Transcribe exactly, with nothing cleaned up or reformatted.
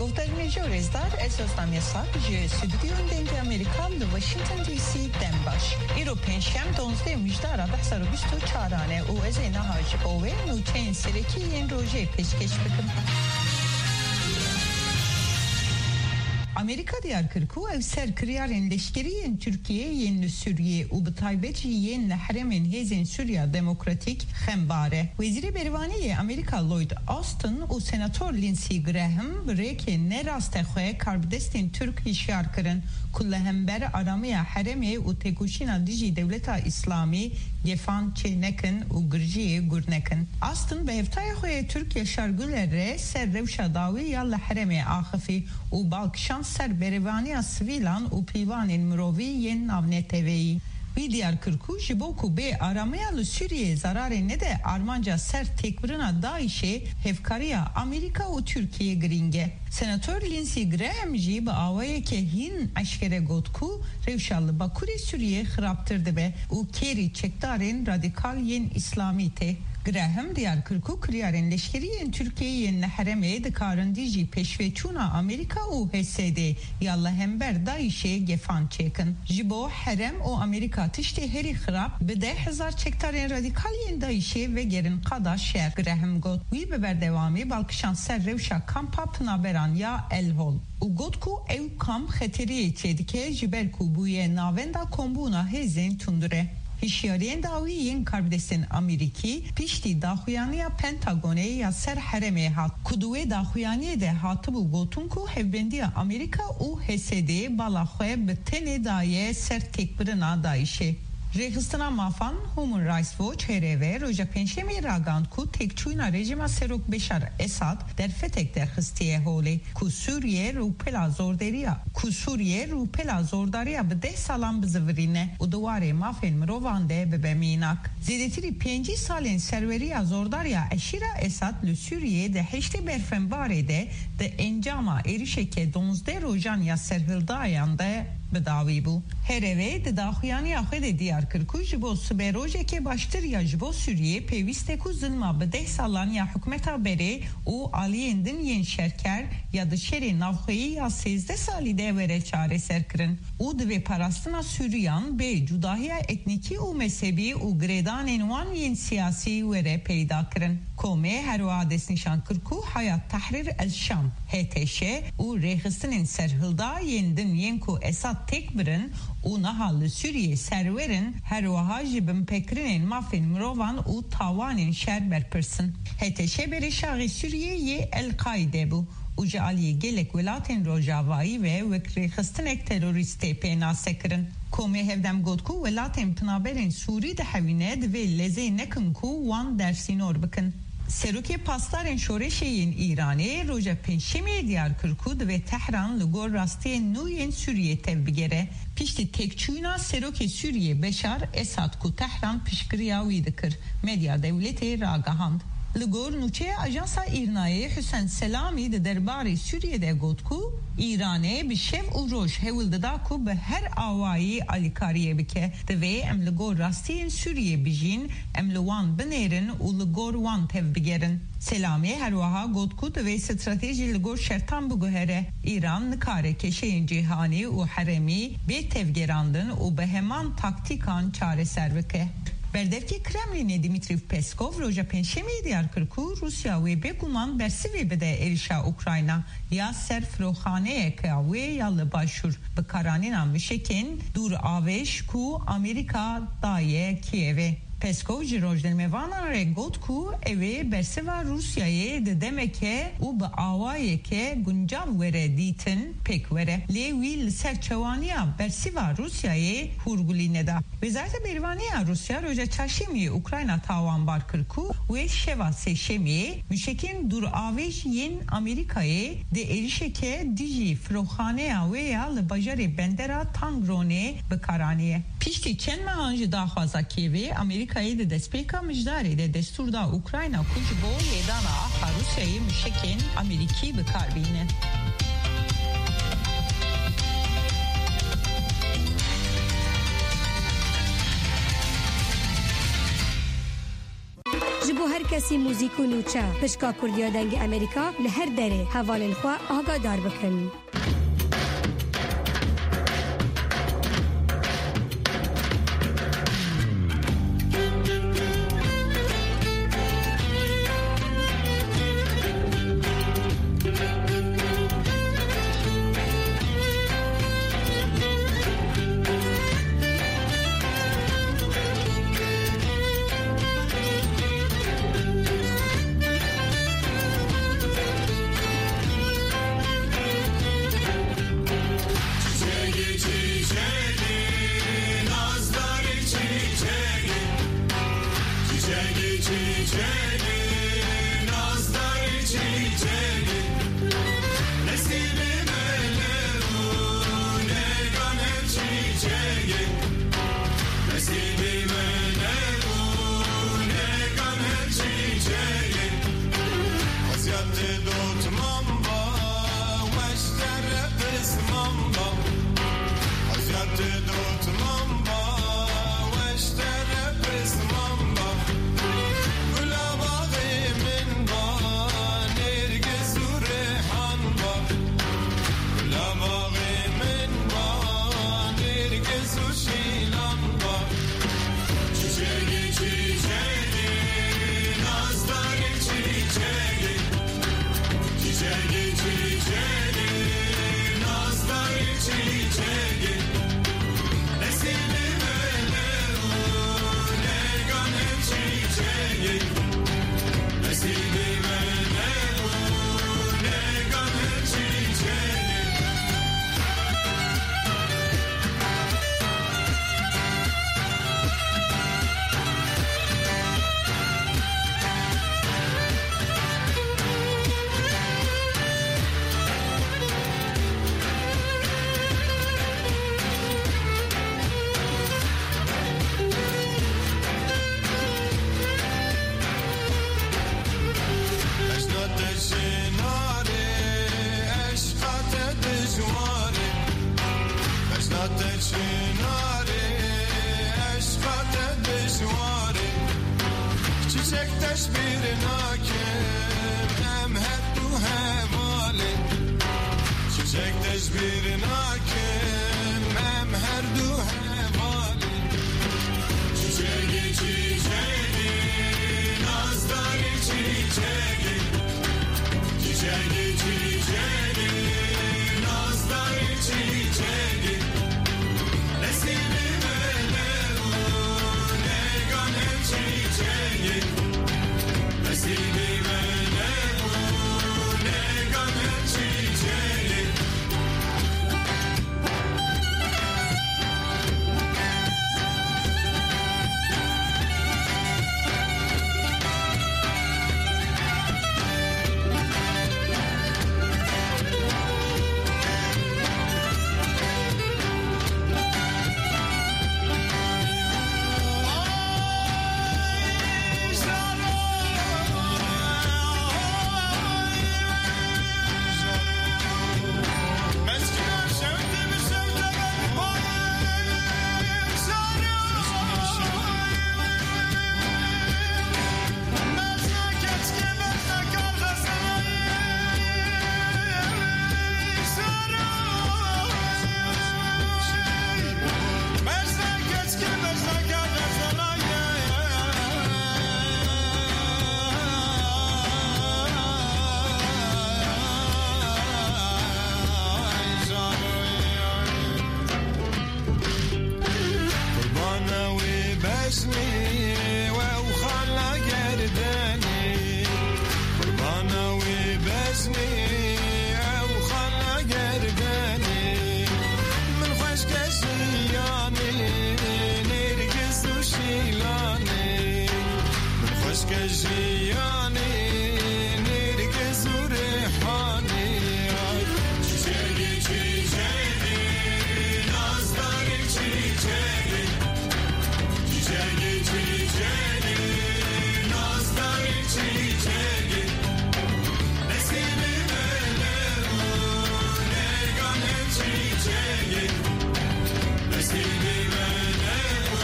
Guhdarên hêja û rêzdar, ez Ozlem Yasak ji Stûdyoyên Dengê Amerîka li Washington D C dem baş. Îro pêncşem, duwazdeh Mijdara du hezar û bîst û çaran e û ez ê niha ji bo we nûçeyên serekî yên rojê pêşkêş bikim. Amerîka diyar kir ku ew ser kiryarên leşkerî yên Tirkiyê yên li Sûriyê û bi taybet jî yên li herêmên Hêzên Sûriya Demokratîk xembar e. Wezîrê Bervanî yê Amerîka Lloyd Austin û Senator Lindsey Graham bi rêkê ne rastexwe karbidestên Tirk hişyar kirin ku li hember aramiya herêmê û têkoşîna dijî Dewleta Îslamî gefan çê nekin û girjiyê gur nekin. Austin bi hevtayê xwe yê Tirk Yaşar Güler re ser rewşa dawî ya li herêmê axifî û bal kişand ser berevaniya sivîlan û pîvanên mirovî yên navneteweyî. Wî diyar kir ku ji bo ku bê aramiya li Sûriyeyê zararê nede, armanca ser têkbirina DAIŞ'ê hevkariya Amerîka û Tirkiyê girîng e. Senator Lindsey Graham jî bi awayeke hîn eşkere got ku rewşa li Bakurê Sûriyê xirabtir dibe û kêrî çekdarên radîkal yên Îslamî tê. Graham diyar kir ku kiryarên leşkerî yên Tirkiyeyê yên li herêmê dikarin dijî pêşveçûna Amerîka û H S D ya li hember DAIŞ'ê gefan çêkin. Ji bo herêm û Amerîka tiştê herî xirab bi deh hezar çekdarên radîkal yên DAIŞ'ê vegerin qada şer, Graham got. Wî bi berdewamî bal kişand ser rewşa kampa pinaberan ya El Hol û got ku ew kamp xeteriyê çêdike ji ber ku bûye navenda kombûna hêzên tundure. Hişyariyên dawî yên karbidestên Amerîkî piştî daxuyaniya Pentagonê ya ser herêmê hat, ku di wê daxuyaniyê de hatibû gotin ku hevbendiya Amerîka û H S D bala xwe bi tenê daye ser têkbirina DAIŞ'ê. Rêxistina mafan Human Rights Watch, H R W, roja Pêncşemê ragihand ku têkçûna rejîma Serok Beşar Esad derfetek derxistiye holê ku Sûriye rûpela zorderiya, ku Sûriye rûpela zordariya bi deh salan bizivirîne û di warê mafên mirovan de bibe mînak. Zêdetirî pêncî salên serweriya zordariya eşîra Esad li Sûriyê di heştê berfenbarê de di encama êrişeke duwazdeh rojan ya serhildayan de bi dawî bû. H R W di daxuyaniya xwe de diyar kir ku ji bo siberojeke baştir ya ji bo Sûriyê pêwîst e ku zilma bi deh salan ya hikûmeta berê û aliyên din yên şerker ya di şerê navxweyî ya sêzdeh salî de were çareserkirin û divê parastina Sûriyan bê cudahiya etnîkî û mezhebî û girêdanên wan yên siyasî were peyda kirin. Komê her wiha destnîşan kir ku Hayat Tahrir el Şam, H T Ş, û rêxistinên serhilda yên din yên ku Esad têk birin û niha li Sûriyê serwer in, her wiha ji binpêkirinên mafên mirovan û tawanên şer berpirs in. H T Ş berê şaxê Sûriyê yê El-Qaîde bû û ji aliyê gelek welatên Rojavayî ve wek rêxistinek terorîst tê pênasekirin. Komê hevdem got ku welatên pinaberên Sûrî dihewîne divê lezê nekin ku wan dersînor bikin. Serokê Pasdarên Şoreşê yên Îranê roja Pêncşemê diyar kir ku divê Tehran li gor rastiyên nû yên Sûriyê tevbigere. Piştî têkçûna serokê Sûriyê Beşar Esad ku Tehran piştgiriya wî dikir, medya dewletê ragihand. Li gor nûçeya Ajansa Îrnayê Husên Selamî di derbarê Sûriyê de got ku Îranê bi şev û roj hewl dida ku bi her awayî alîkariyê bike. Divê em li gor rastiyên Sûriyê bijîn, em li wan binêrin û li gor wan tevbigerin. Selamî her wiha got ku divê stratejî li gor şertan biguhere. Îran nikare kêşeyên cîhanî û herêmî bê tevgerandin û bi heman taktîkan çareser bike. Berdevkê Kremlînê Dimitrî Peskov roja Pêncşemê diyar kir ku Rûsya wê bêguman bersivê bide êrişa Ukrayna ya ser firoxaneyeke wê ya li başûr, bi karanîna mişekên dûravêj ku Amerîka daye Kîevê. Peskov ji rojnamevanan re got ku ew ê bersiva Rûsyayê di demeke û bi awayeke guncav were dîtin pêk were. Lê wî li ser çewaniya bersiva Rûsyayê hûrgulî neda. Wezareta Berevaniya Rûsya roja Çarşemiyê Ukrayna tawanbar kir ku wê şeva Sêşemiyê mişekên dûravêj yên Amerîkayê di êrişeke dijî firoxaneya wê ya li bajarê bendera Tangronê bi kar aniye. Piştî çend mehan ji daxwaza Kîevê, Amerîkayê di destpêka Mijdarê de destûr da Ukrayna ku ji bo lêdana axa Rûsyayê mişekên Amerîkî bi kar bîne. Bo her kesî muzîk û nûçe, pişka Kurdiya Dengê Amerîka li her derê hevalên xwe agadar bikin. Çiçegê, çiçegê, nazdarê çiçegê. Çiçegê, çiçegê, nazdarê çiçegê. Nesîbê me ne bû, negan her çiçegê. Nesîbê me ne bû, negan her çiçegê. Eziyetê dotman ba, weş tere pisman ba. Eziyetê dotman ba, weş tere pisman ba. Gula baxê min ba, nêrgiz û rêhan ba. Gula baxê min ba, nêrgiz û şîlan ba. Çiçegê, çiçegê, nazdarê çiçegê. Çiçegê, çiçegê, nazdarê çiçegê. Nesîbê me ne bû, negan her çiçegê. Nesîbê me ne bû, negan her çiçegê. Bejna te ji narê, eşqa te dijwarê. Bejna te ji narê, eşqa te dijwarê. Çiçek te ji bîr nakim, em her du hevalê. Çiçek te ji bîr nakim, em her du hevalê. Çiçegê, çiçegê, nazdarê çiçegê. Çiçegê, çiçegê, nazdarê çiçegê. Nesîbê me ne bû, negan her çiçegê. Nesîbê me ne bû, negan her çiçegê. Qurbana wê beznê, ew xala gerdenê. Qurbana wê beznê, ew xala gerdenê. Min xweşke jiyanê, nêrgiz û şîlanê. Min xweşke jî